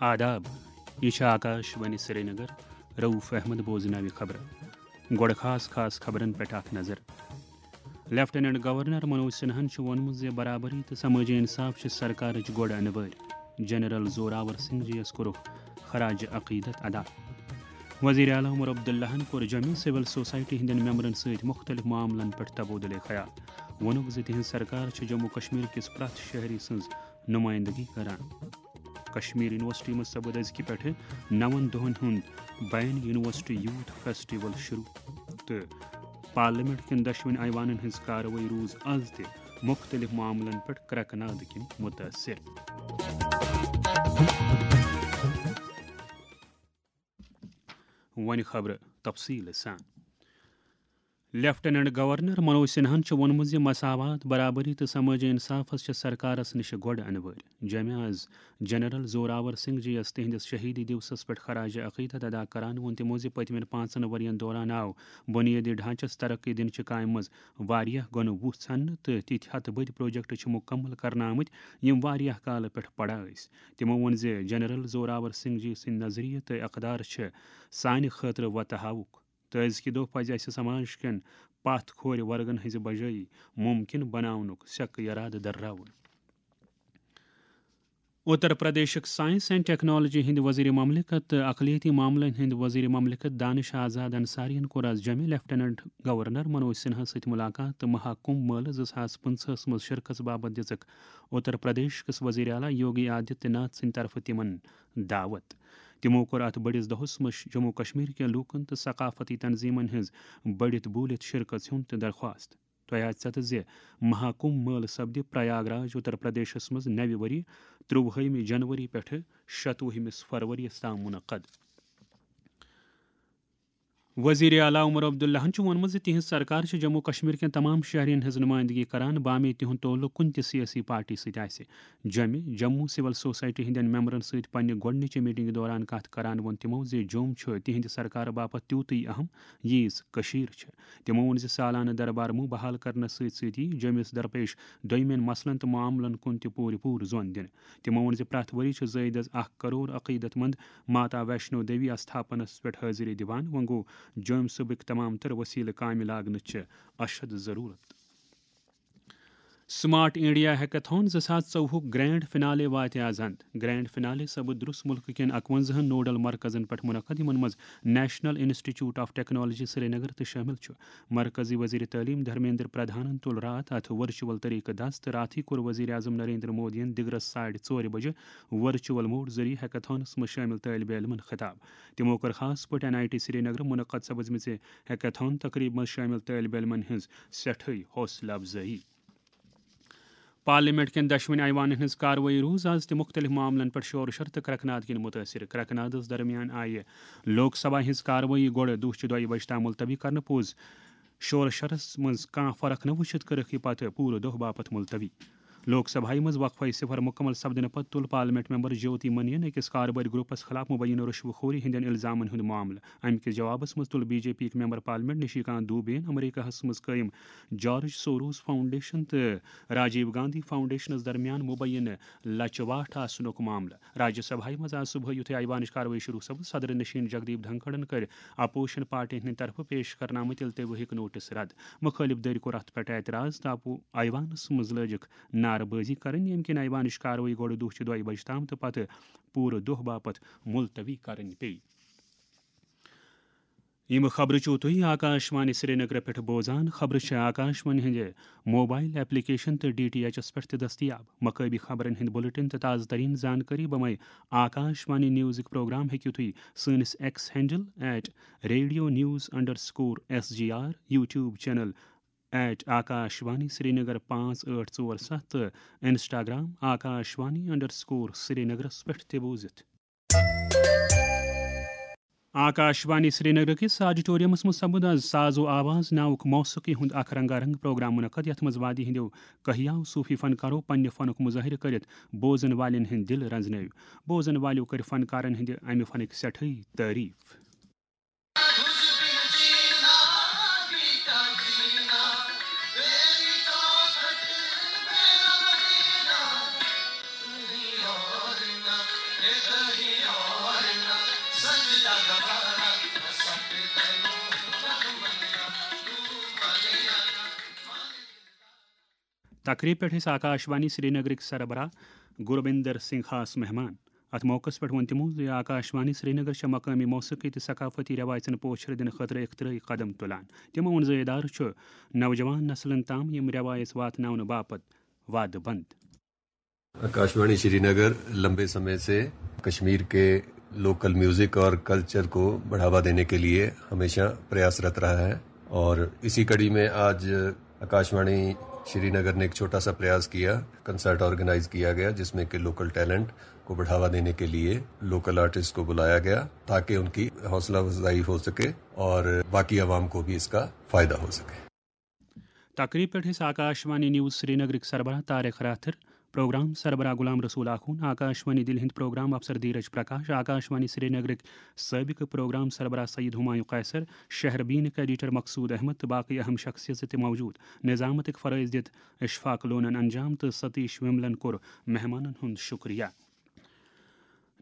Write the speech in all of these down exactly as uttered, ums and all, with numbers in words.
آداب، یہِ چھِ آکاش وانی سرینگر۔ رؤف احمد بوزناوِ خبرٕ۔ گۄڈٕ خاص خاص خبرن پٮ۪ٹھ اکھ نظر۔ لیفٹیننٹ گورنر منوج سنہاہن چھُ ووٚنمُت زِ برابری تہٕ سمٲجی انصاف چھِ سرکارٕچ گۄڈٕ انہٕ وٲرۍ۔ جنرل زوراور سنگھ جی یَس کوٚرُکھ خراج عقیدت ادا۔ وزیر اعلیٰ عمر عبداللہن کوٚر جوٚمہِ سول سوسائٹی ہٕنٛدٮ۪ن ممبرن سۭتۍ مُختٔلِف معاملن پٮ۪ٹھ تبادلہٕ خیال۔ ووٚنُکھ زِ تِہنٛز سرکار چھِ جموں کشمیر کِس پرٛٮ۪تھ شہری سٕنٛز نُمٲیندگی کران۔ کشمیر یونیورسٹی منٛز سپُد أزکہِ پٮ۪ٹھٕ نَوَن دۄہَن ہُنٛد بین یونیورسٹی یوتھ فیسٹیول شروع، تہٕ پارلیمنٹ کٮ۪ن دۄشوٕنی ایوانن ہٕنٛز کاروٲیی روٗز از تہِ مُختٔلِف معاملن پٮ۪ٹھ کرٛٮ۪کہٕ ناد کِنۍ مُتٲثِر۔ وۄنۍ خبرٕ تفصیٖل سان۔ لیفٹیننٹ گورنر منوج سنہاہن چھُ ووٚنمُت زِ مساوات، برابری تہٕ سمٲجی انصافس چھِ سرکارس نِش گۄڈٕ انہٕ وٲرۍ۔ جوٚمہِ آز جنرل زوراور سنگھ جی یَس تِہنٛدِس شہیدی دیوسس پٮ۪ٹھ خراج عقیدت ادا کران ووٚن تِمو زِ پٔتمٮ۪ن پانٛژن ؤرین دوران آو بُنیٲدی ڈھانچس ترقی دِنہٕ چہِ کامہِ منٛز واریاہ گۄنہٕ وُہ ژھننہٕ تہٕ تِتھۍ ہتہٕ بٔدۍ پروجیکٹ چھِ مُکمل کرنہٕ آمٕتۍ، یِم واریاہ کالہٕ پٮ۪ٹھ پڑا ٲسۍ۔ تِمو ووٚن زِ جنرل زوراور سنگھ جی سٕنٛدۍ نظریہٕ تہٕ اقدار چھِ سانہِ خٲطرٕ وۄتہٕ ہاوُک۔ تہٕ أزکہِ دۄہ پزِ اسہِ سماج کٮ۪ن پتھ کھورِ ورگن ہٕنٛزِ بجٲیی ممکن بناونُک سیکہٕ ارادٕ درراوُن۔ اتر پردیشک سائنس اینڈ ٹیکنالوجی ہٕنٛدۍ وزیر مملکت تہٕ اقلیتی معاملن ہٕنٛدۍ وزیر مملکت دانش آزاد انصارین کوٚر از جوٚمہِ لیفٹیننٹ گورنر منوج سنہاہس سۭتۍ ملاقات تہٕ مہاکمبھ مٲلہٕ زٕ ساس پٕنٛژٕہس منٛز شرکژ باپتھ دِژٕکھ اتر پردیش کِس وزیر اعلیٰ یوگی آدتیہ ناتھ سٕنٛدِ طرفہٕ تِمن دعوت۔ تِمو کوٚر اتھ بٔڑِس دۄہس منٛز جموں کشمیر کٮ۪ن لوٗکن تہٕ ثقافتی تنظیمن ہٕنٛز بٔڑِتھ بوٗلِتھ شرکژ ہُنٛد تہِ درخواست۔ تۄہہِ آسہِ ژتہٕ زِ مہاکمبھ مٲلہٕ سپدِ پریاگ راج، اتر پردیشس منٛز نوِ ؤری، ترٛوُہمہِ جنوری پٮ۪ٹھٕ شتوُہمِس فروریَس تام منعقد۔ وزیر اعلیٰ عمر عبداللہن چھُ ووٚنمُت زِ تِہنٛز سرکار چھِ جموں کشمیر کٮ۪ن تمام شہرین ہٕنٛز نُمٲیندگی کران، بامے تِہُنٛد تعلق کُنہِ تہِ سیٲسی پارٹی سۭتۍ آسہِ۔ جوٚمہِ جموں سول سوسائٹی ہٕنٛدٮ۪ن ممبرن سۭتۍ پننہِ گۄڈٕنِچہِ میٹنگہِ دوران کتھ کران ووٚن تِمو زِ جوٚم چھُ تِہنٛدِ سرکارٕ باپتھ تیوٗتٕے اہم، ییٖژ کٔشیٖر چھِ۔ تِمو ووٚن زِ سالانہٕ دربار مُنٛڈ بحال کرنس سۭتۍ سۭتۍ یِیہِ جوٚمِس درپیش دوٚیمٮ۪ن مسلن تہٕ معاملن کُن تہِ پوٗرٕ پوٗرٕ زۄن دِنہٕ۔ تِمو ووٚن زِ پرٛٮ۪تھ ؤری چھِ زٲیدٕ از اکھ کرور عقیدت مند ماتا ویشنو دیوی استھاپنس پٮ۪ٹھ حٲضری دِوان۔ وۄنۍ گوٚو جوٚم صوبٕکۍ تمام تر وسیلہٕ کامہِ لاگنٕچ چھِ اشد ضروٗرت۔ سمارٹ انڈیا ہیکتھان زٕ ساس ژوٚوُہُک گرینڈ فنالے واتہِ از اند۔ گرینڈ فنالے سپُد درُس ملکہٕ کٮ۪ن اکوَنزاہن نوڈل مرکزن پٮ۪ٹھ منعقد، یِمن منٛز national institute of technology Srinagar تہِ شٲمِل چھُ۔ مرکزی وزیر تعلیم دھرمیندر پردھانن تُل راتھ اتھ ورچوئل طریقہٕ دست تہٕ راتھٕے کوٚر وزیر اعظم نریندر مودیَن دِگرس ساڑِ ژورِ بجہِ ورچوئل موڈ ذٔریعہٕ ہیکتھانس منٛز شٲمِل طٲلبِ علمن خطاب۔ تِمو کٔر خاص پٲٹھۍ این آئی ٹی سرینگرٕ منعقد سپزمٕژِ ہیکتھان تقریبہِ منٛز شٲمِل طٲلبِ علمن ہٕنٛز سٮ۪ٹھٕے حوصلہٕ افزٲیی۔ پارلیمنٹ کٮ۪ن دۄشوٕنی ایوانن ہٕنٛز کاروٲیی روٗز از تہِ مُختٔلِف معاملن پٮ۪ٹھ شور شر تہٕ کرٛٮ۪کہٕ ناد کِنۍ مُتٲثِر۔ کرٛٮ۪کہٕ نادس درمیان آیہِ لوک سبھا ہٕنٛز کاروٲیی گۄڈٕ دُہچہِ دۄیہِ بجہِ تام ملتوی کرنہٕ۔ پوٚز شور شرس منٛز کانٛہہ فرق نہٕ وُچھِتھ کٔرٕکھ یہِ پتہٕ پوٗرٕ دۄہ باپتھ ملتوی۔ لوک سبھایہ منٛز وقفہٕ صفر مُکمل سپدنہٕ پتہٕ تُل پارلیمنٹ ممبر جیوتی منین أکِس کاربٲرۍ گروپس خلاف مبینہ رشوٕ خوری ہٕنٛدٮ۪ن الزامن ہُنٛد معاملہٕ۔ امہِ کِس جوابس منٛز تُل بی جے پی یِکۍ ممبر پارلیمنٹ نشیکانت دوبے یَن امریکہس منٛز قٲیِم جارج سوروس فاؤنڈیشن تہٕ راجیو گاندھی فاؤنڈیشنس درمیان مبینہ لچہِ واٹھ آسنُک معاملہٕ۔ راجیہ سبھایہ منٛز آز صبحٲے یُتھُے ایوانٕچ کاروٲیی شروع سپٕز، صدر نشین جگدیپ دھنکھڑن کٔرۍ اپوزیشن پارٹین ہٕنٛدِ طرفہٕ پیش کرنہٕ آمٕتۍ التوٲہٕکۍ نوٹس رد۔ مُخٲلف دٔرۍ کوٚر اتھ پٮ۪ٹھ اعتراض تہٕ آو ایوانس منٛز لٲجِکھ نعرٕ بٲزی کرٕنۍ، ییٚمہِ کِنۍ ایوانٕچ کاروٲیی گۄڈٕ دُہچہِ دۄیہِ بجہِ تام تہٕ پتہٕ پوٗرٕ دۄہ باپتھ ملتوی کرٕنۍ پیٚیہِ۔ یِم خبرٕ چھِو تُہۍ آکاش وانی سرینگرٕ پٮ۪ٹھ بوزان۔ خبرٕ چھِ آکاش وانی ہٕنٛدِ موبایل ایپلیکیشن تہٕ ڈی ٹی ایچ ایس پٮ۪ٹھ تہِ دٔستیاب۔ مقٲمی خبرن ہٕنٛدۍ بُلٹن تہٕ تازٕ تریٖن زانکٲری بمے آکاش وانی نیوزٕکۍ پروگرام ہیٚکِو تُہۍ سٲنِس X handle at radio news underscore S G R, YouTube channel at Akashvani Srinagar پانٛژھ ٲٹھ ژور ستھ تہٕ Instagram Akashvani underscore سرینگرس پٮ۪ٹھ تہِ بوٗزِتھ۔ آکاش وانی سرینگر کِس آڈیٹورمس منٛز سپُد آز ساز و آواز ناوُک موسیقی ہُنٛد اکھ رنگا رنگ پروگرام منعقد، یتھ منٛز وادی ہٕنٛدیو کہیاو صوفی فنکارو پننہِ فنُک مظٲہرٕ کٔرِتھ بوزن والٮ۪ن ہٕنٛدۍ دِل رنزنٲوۍ۔ بوزن والٮ۪و کٔرۍ فنکارن ہٕنٛدِ امہِ فنٕکۍ سٮ۪ٹھٕے تعریف۔ تقریب پٮ۪ٹھ ٲسۍ آکاشوانی سرینگرٕکۍ سربراہ گروبندر سنگھ خاص مہمان۔ اتھ موقعس پٮ۪ٹھ ووٚن تِمو زِ آکاشوانی سرینگر چھےٚ مقٲمی موسیقی تہٕ ثقافتی رٮ۪وایژن پوچھر دِنہٕ خٲطرٕ اختراعی قدم تُلان۔ تِمو ووٚن زِ ادارٕ چھُ نوجوان نسلن تام یِم رٮ۪وایژ واتناونہٕ باپتھ وعدٕ بنٛد۔ आकाशवाणी श्रीनगर लंबे समय से कश्मीर के लोकल म्यूजिक और कल्चर को बढ़ावा देने के लिए हमेशा प्रयासरत रहा है और इसी कड़ी में आज आकाशवाणी श्रीनगर ने एक छोटा सा प्रयास किया। कंसर्ट ऑर्गेनाइज किया गया जिसमें कि लोकल टैलेंट को बढ़ावा देने के लिए लोकल आर्टिस्ट को बुलाया गया ताकि उनकी हौसला अफजाई हो सके और बाकी आवाम को भी इसका फायदा हो सके। تقریب پٮ۪ٹھ ٲسۍ آکاشوانی نیوز سرینگرٕکۍ سربراہ طارق راتھر، پروگرام سربراہ غلام رسول آخون، آکاشوانی دِلہِ ہٕنٛدۍ پروگرام افسر دھیرج پرکاش، آکاشوانی سرینگرٕکۍ سٲبقہٕ پروگرام سربراہ سید ہمایوں قیصر، شہر بینک ایڈیٹر مقصود احمد تہٕ باقٕے اہم شخصیژٕ تہِ موجود۔ نظامتٕکۍ فرٲیض دِتھ اشفاق لونن انجام تہٕ ستیش وملن کوٚر مہمانن ہُنٛد شکریہ۔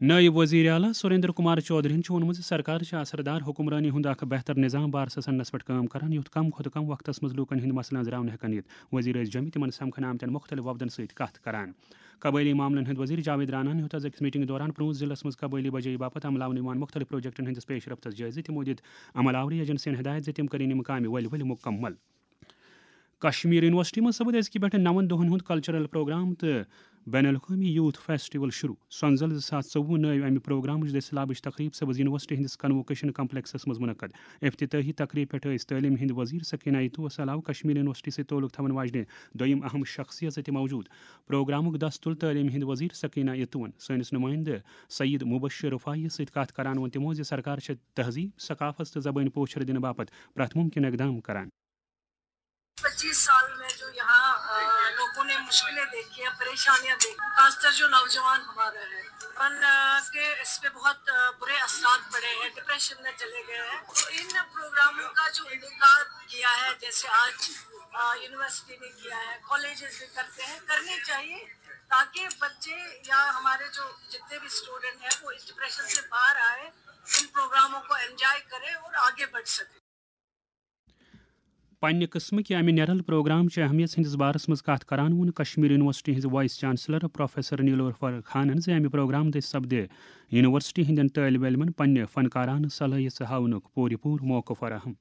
نٲیِب وزیر اعلیٰ سریندر کمار چودھرین چھُ ووٚنمُت زِ سرکار چھِ اثردار حکمرٲنی ہُنٛد اکھ بہتر نظام بارسس اننس پٮ۪ٹھ کٲم کران، یُتھ کم کھۄتہٕ کم وقتس منٛز لوٗکن ہٕنٛدۍ مسلہٕ أنٛزراونہٕ ہٮ۪کن یِتھ۔ وزیر ٲسۍ جوٚمہِ تِمن سمکھنہٕ آمتٮ۪ن مُختٔلِف وفدن سۭتۍ کتھ کران۔ قبٲیلی معاملن ہٕنٛدۍ وزیر جاوید راناہن ہیوٚت از أکِس میٹنگہِ دوران پرٛوٗنٛژ ضلعس منٛز قبٲیلی بجٲیی باپتھ عملاونہٕ یِوان مُختٔلِف پروجیکٹن ہٕنٛدِس پیش رفتس جٲیزٕ۔ تِمو دِتۍ عمل آوری ایجنسین ہدایت زِ تِم کرن یِم کامہِ ؤلۍ ؤلۍ مُکمل۔ کشمیر یونیورسٹی منٛز سپُد أزکہِ پٮ۪ٹھٕ نَوَن دۄہَن ہُنٛد کلچرل پروگرام تہٕ بین الاقوٲمی یوتھ فیسٹیول شروع۔ سۄنزل زٕ ساس ژوٚوُہ نٲوۍ اَمہِ پروگرامٕچ دٔسِلابٕچ تقریٖب سپُد یونیورسٹی ہٕنٛدِس کنووکیشن کمپلیکسس منٛز منعقد۔ افتتاحی تقریٖب پٮ۪ٹھ ٲسۍ تعلیٖم ہٕنٛدۍ وزیر سکینہ اتوس علاوٕ کشمیر یونیورسٹی سۭتۍ تعلق تھاون واجنہِ دوٚیِم اہم شخصیژٕ تہِ موجود۔ پروگرامُک دَس تُل تعلیٖم ہٕنٛدۍ وزیر سکینہ اتوَن۔ سٲنِس نُمٲیندٕ سعید مبشر رفاعی یَس سۭتۍ کتھ کران ووٚن تِمو زِ سرکار چھےٚ تہذیٖب، ثقافت تہٕ زبٲنۍ پوچھر دِنہٕ باپتھ پرٛٮ۪تھ مُمکِن اقدام کران۔ پچیس سال میں جو یہاں آ، لوگوں نے مشکلیں دیکھی ہیں، پریشانیاں دیکھی، خاص طور جو نوجوان ہمارا ہے، ان آ، کے اس پہ بہت آ، برے اثرات پڑے ہیں، ڈپریشن میں چلے گئے ہیں۔ تو ان پروگراموں کا جو انعقاد کیا ہے، جیسے آج آ، یونیورسٹی نے کیا ہے، کالجز بھی کرتے ہیں، کرنے چاہیے، تاکہ بچے یا ہمارے جو جتنے بھی اسٹوڈنٹ ہیں، وہ اس ڈپریشن سے باہر آئے، ان پروگراموں کو انجوائے کریں اور آگے بڑھ سکیں۔ پننہِ قٕسمٕکہِ امہِ نیرل پروگرام چہِ اہمیت ہٕنٛدِس بارس منٛز کتھ کران ووٚن کشمیر یونیورسٹی ہٕنٛزِ وائس چانسلر پروفیسر نیلوفر خانن زِ امہِ پروگرام دٔسۍ سپدِ یونیورسٹی ہٕنٛدٮ۪ن طٲلب علمن پننہِ فنکارانہٕ صلٲحیژٕ ہاونُک پوٗرٕ پوٗرٕ موقعہٕ فراہم۔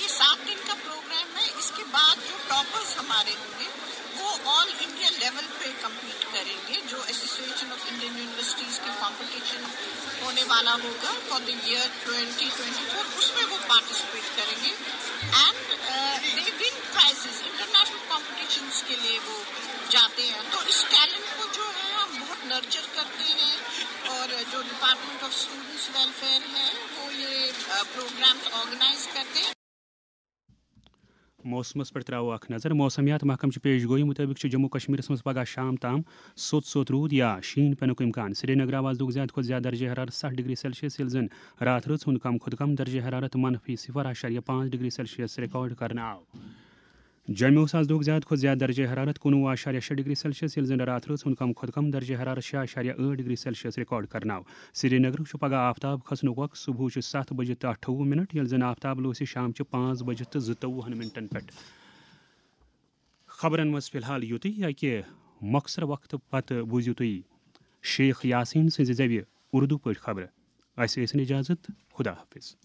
یہ سات دن کا پروگرام ہے۔ اس کے بعد جو ٹاپرز ہمارے ہوں گے، وہ آل انڈیا لیول پہ کمپیٹ کریں گے، جو ایسوسیشن آف انڈین یونیورسٹیز کے کمپٹیشن ہونے والا ہوگا for the year twenty twenty four, اس میں وہ پارٹیسپیٹ کریں گے۔ And they won prizes international competitions کے لیے وہ جاتے ہیں۔ تو اس ٹیلنٹ کو جو ہے، ہم بہت نرچر کرتے ہیں، اور جو ڈپارٹمنٹ آف اسٹوڈنٹس ویلفیئر ہے، وہ یہ پروگرامز آرگنائز کرتے ہیں۔ موسمس پٮ۪ٹھ ترٛاوو اکھ نظر۔ موسمیات محکمہٕ چہِ پیش گویی مُطٲبِق چھُ جموں کشمیرس منٛز پگہہ شام تام سوٚت سوٚت روٗد یا شیٖن پٮ۪نُک امکان۔ سرینگر آو آز دۄہُک زیادٕ کھۄتہٕ زیادٕ درجہ حرارت ستھ ڈگری سیلسیس، ییٚلہِ زن راتھ رٲژ ہُنٛد کم کھۄتہٕ کم درجہ حرارت منفی صفر اعشاریہ پانٛژھ ڈگری سیلسیس ریکارڈ کرنہٕ آو۔ جوٚمہِ اوس آز دۄہُک زیادٕ کھۄتہٕ زیادٕ درجہ حرارت کُنوُہ اعشاریہ شےٚ ڈگری سیلسیس، ییٚلہِ زن راتھ رٲژ ہُنٛد کم کھۄتہٕ کم درجہ حرارت شےٚ اعشاریہ ٲٹھ ڈگری سیلسیس ریکارڈ کرنہٕ آو۔ سرینگرُک چھُ پگہہ آفتاب کھسنُک وقت صبحٕچہِ ستھ بجہِ تہٕ اَٹھووُہ منٹ، ییٚلہِ زن آفتاب لوسہِ شامچہِ پانٛژھ بجہِ تہٕ زٕتووُہن منٹن پٮ۪ٹھ۔ خبرن منٛز فی الحال یُتُے۔ اکہِ مۄخصر وقتہٕ پتہٕ بوٗزِو تُہۍ شیخ یاسین سٕنٛزِ زٮ۪وِ اردو پٲٹھۍ خبرٕ۔ اسہِ ٲسِن اجازت۔ خدا حافظ۔